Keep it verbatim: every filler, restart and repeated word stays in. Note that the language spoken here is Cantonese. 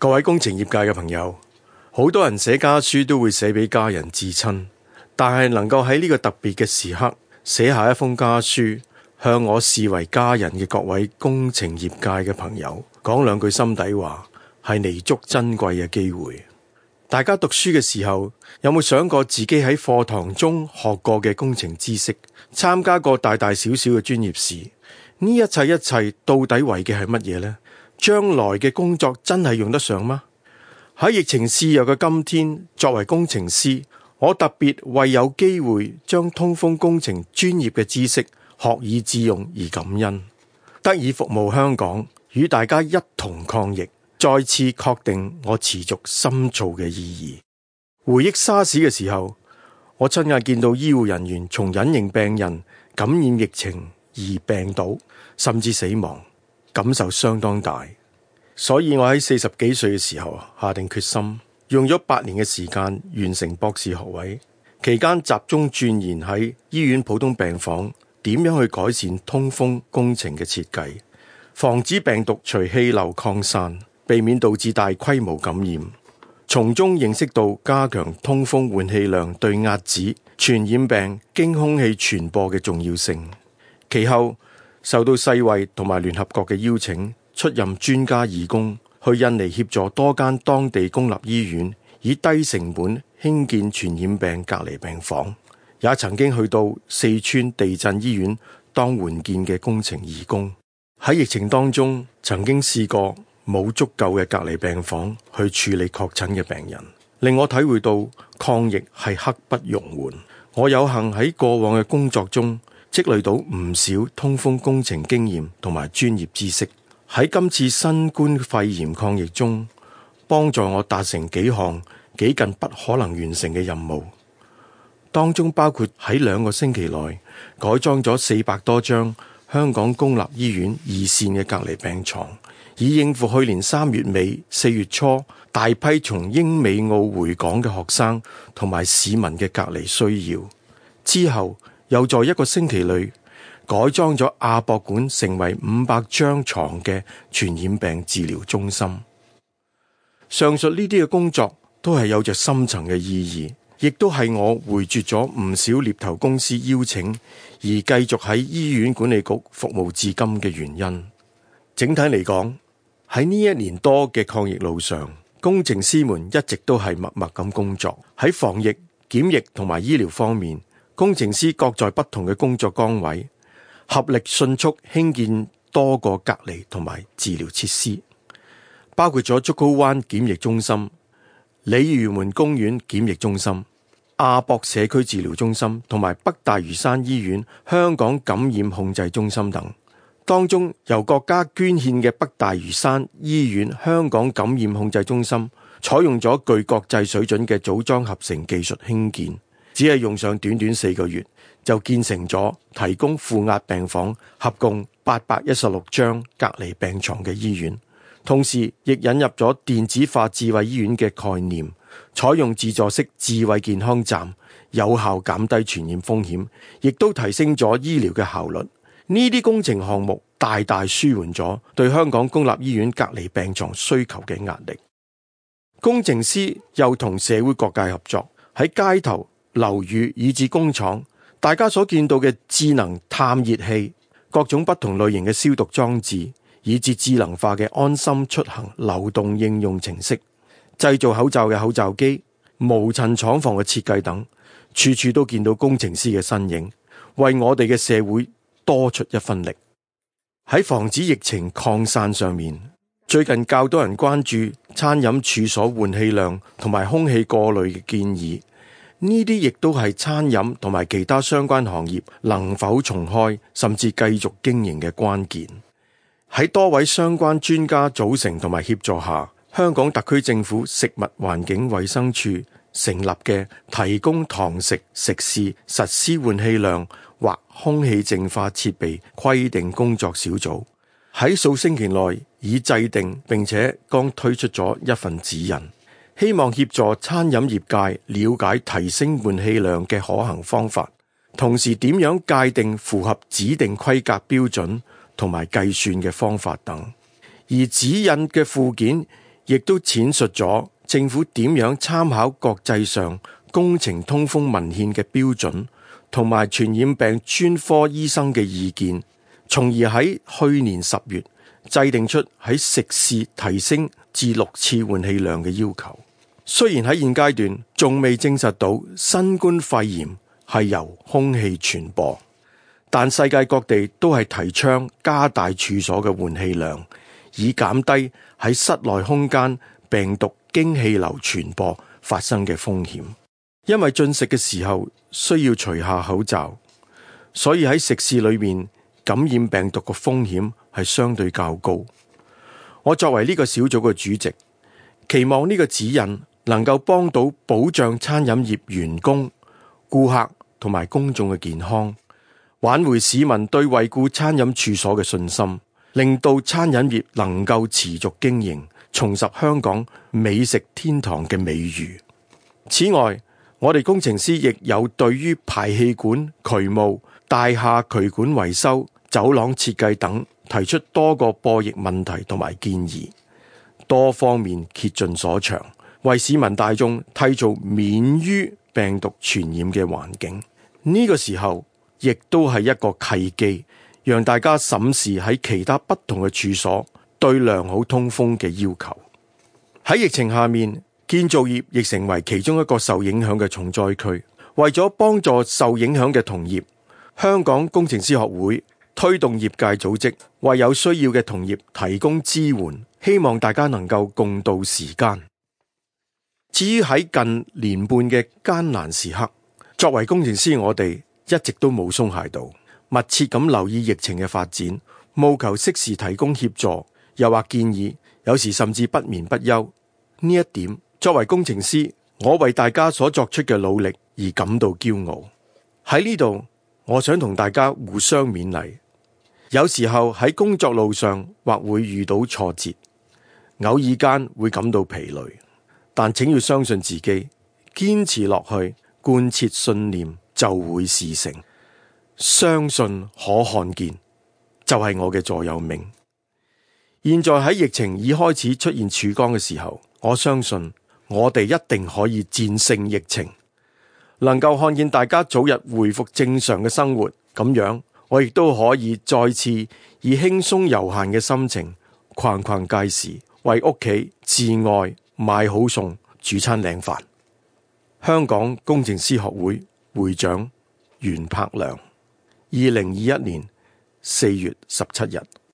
各位工程業界嘅朋友，好多人寫家書都會寫俾家人至親，但係能夠喺呢個特別嘅時刻寫下一封家書，向我視為家人嘅各位工程業界嘅朋友講兩句心底話，係彌足珍貴嘅機會。大家讀書嘅時候，有冇想過自己喺課堂中學過嘅工程知識，參加過大大小小嘅專業事？呢一切一切到底為嘅係乜嘢呢？將來嘅工作真係用得上嗎？喺疫情肆虐嘅今天，作為工程師，我特別為有機會將通風工程專業嘅知識學以致用而感恩，得以服務香港，與大家一同抗疫，再次確定我持續深造嘅意義。回憶沙士嘅時候，我親眼見到醫護人員從隱形病人感染疫情而病倒，甚至死亡，感受相當大。所以我喺四十幾歲嘅時候下定決心，用咗八年嘅時間完成博士學位，期間集中鑽研喺醫院普通病房點樣去改善通風工程嘅設計，防止病毒隨氣流擴散，避免導致大規模感染，從中認識到加強通風換氣量對遏止傳染病經空氣傳播嘅重要性。其後受到世衛同埋聯合國嘅邀請，出任專家義工，去印尼協助多間當地公立醫院以低成本興建傳染病隔離病房，也曾經去到四川地震醫院當援建嘅工程義工。喺疫情當中，曾經試過冇足夠嘅隔離病房去處理確診嘅病人，令我體會到抗疫係刻不容緩。我有幸喺過往嘅工作中積累到唔少通風工程經驗同埋專業知識，喺今次新冠肺炎抗疫中，幫助我達成幾項幾近不可能完成嘅任務，當中包括喺兩個星期內改裝咗四百多張香港公立醫院二線嘅隔離病床，以應付去年三月尾四月初大批從英美澳回港嘅學生同埋市民嘅隔離需要。之後又在一個星期內改裝咗亞博館成為五百張床嘅傳染病治療中心。上述呢啲嘅工作都係有着深層嘅意義，亦都係我回絕咗唔少獵頭公司邀請而繼續喺醫院管理局服務至今嘅原因。整體嚟講，喺呢一年多嘅抗疫路上，工程師們一直都係默默咁工作。喺防疫、檢疫同埋醫療方面，工程師各在不同嘅工作崗位，合力迅速興建多個隔離同埋治療設施，包括咗竹篙灣檢疫中心、鯉魚門公園檢疫中心、亞博社區治療中心同埋北大嶼山醫院香港感染控制中心等。當中由國家捐獻嘅北大嶼山醫院香港感染控制中心，採用咗具國際水準嘅組裝合成技術興建，只係用上短短四個月就建成咗提供負壓病房合共八百一十六張隔離病床嘅醫院。同時亦引入咗電子化智慧醫院嘅概念，採用自助式智慧健康站，有效減低傳染風險，亦都提升咗醫療嘅效率。呢啲工程項目大大舒緩咗對香港公立醫院隔離病床需求嘅壓力。工程師又同社會各界合作，喺街頭、樓宇以至工廠，大家所見到嘅智能探熱器、各種不同類型嘅消毒裝置，以至智能化嘅安心出行流動應用程式，製造口罩嘅口罩機、無塵廠房嘅設計等，處處都見到工程師嘅身影，為我哋嘅社會多出一分力。喺防止疫情擴散上面，最近較多人關注餐飲處所換氣量同埋空氣過濾嘅建議，呢啲亦都係餐飲同埋其他相關行業能否重開甚至繼續經營嘅關鍵。喺多位相關專家組成同埋協助下，香港特區政府食物環境衛生署成立嘅提供堂食食肆實施換氣量或空氣淨化設備規定工作小組，喺數星期內已制定並且剛推出咗一份指引，希望協助餐飲業界了解提升換氣量嘅可行方法，同時點樣界定符合指定規格標準同埋計算嘅方法等。而指引嘅附件亦都闡述咗政府點樣參考國際上工程通風文獻嘅標準，同埋傳染病專科醫生嘅意見，從而喺去年十月制定出喺食肆提升至六次換氣量嘅要求。雖然喺現階段仲未證實到新冠肺炎係由空氣傳播，但世界各地都係提倡加大處所嘅換氣量，以減低喺室內空間病毒經氣流傳播發生嘅風險。因為進食嘅時候需要除下口罩，所以喺食肆裏面感染病毒嘅風險係相對較高。我作為呢個小組嘅主席，期望呢個指引能夠幫到保障餐飲業員工、顧客同埋公眾嘅健康，挽回市民對惠顧餐飲處所嘅信心，令到餐飲業能夠持續經營，重拾香港美食天堂嘅美譽。此外，我哋工程師亦有對於排氣管、渠務、大廈渠管維修、走廊設計等提出多個播疫問題同埋建議，多方面竭盡所長，為市民大眾締造免於病毒傳染嘅環境。呢個時候亦都係一個契機，讓大家審視喺其他不同嘅處所對良好通風嘅要求。喺疫情下面，建造業亦成為其中一個受影響嘅重災區。為咗幫助受影響嘅同業，香港工程師學會推動業界組織，為有需要嘅同業提供支援，希望大家能夠共度時間。至於喺近年半嘅艱難時刻，作為工程師，我哋一直都冇鬆懈到，密切咁留意疫情嘅發展，務求適時提供協助，又或建議，有時甚至不眠不休。呢一點，作為工程師，我為大家所作出嘅努力而感到驕傲。喺呢度，我想同大家互相勉勵。有時候喺工作路上或會遇到挫折，偶爾間會感到疲累，但請要相信自己，堅持落去，貫徹信念就會事成。相信可看見，就係我嘅座右銘。現在喺疫情已開始出現曙光嘅時候，我相信我哋一定可以戰勝疫情，能夠看見大家早日恢復正常嘅生活。咁樣我亦都可以再次以輕鬆悠閒嘅心情逛逛街市，為屋企至愛買好餸，煮餐靚飯。香港工程師學會會長袁柏良，二零二一年四月十七日。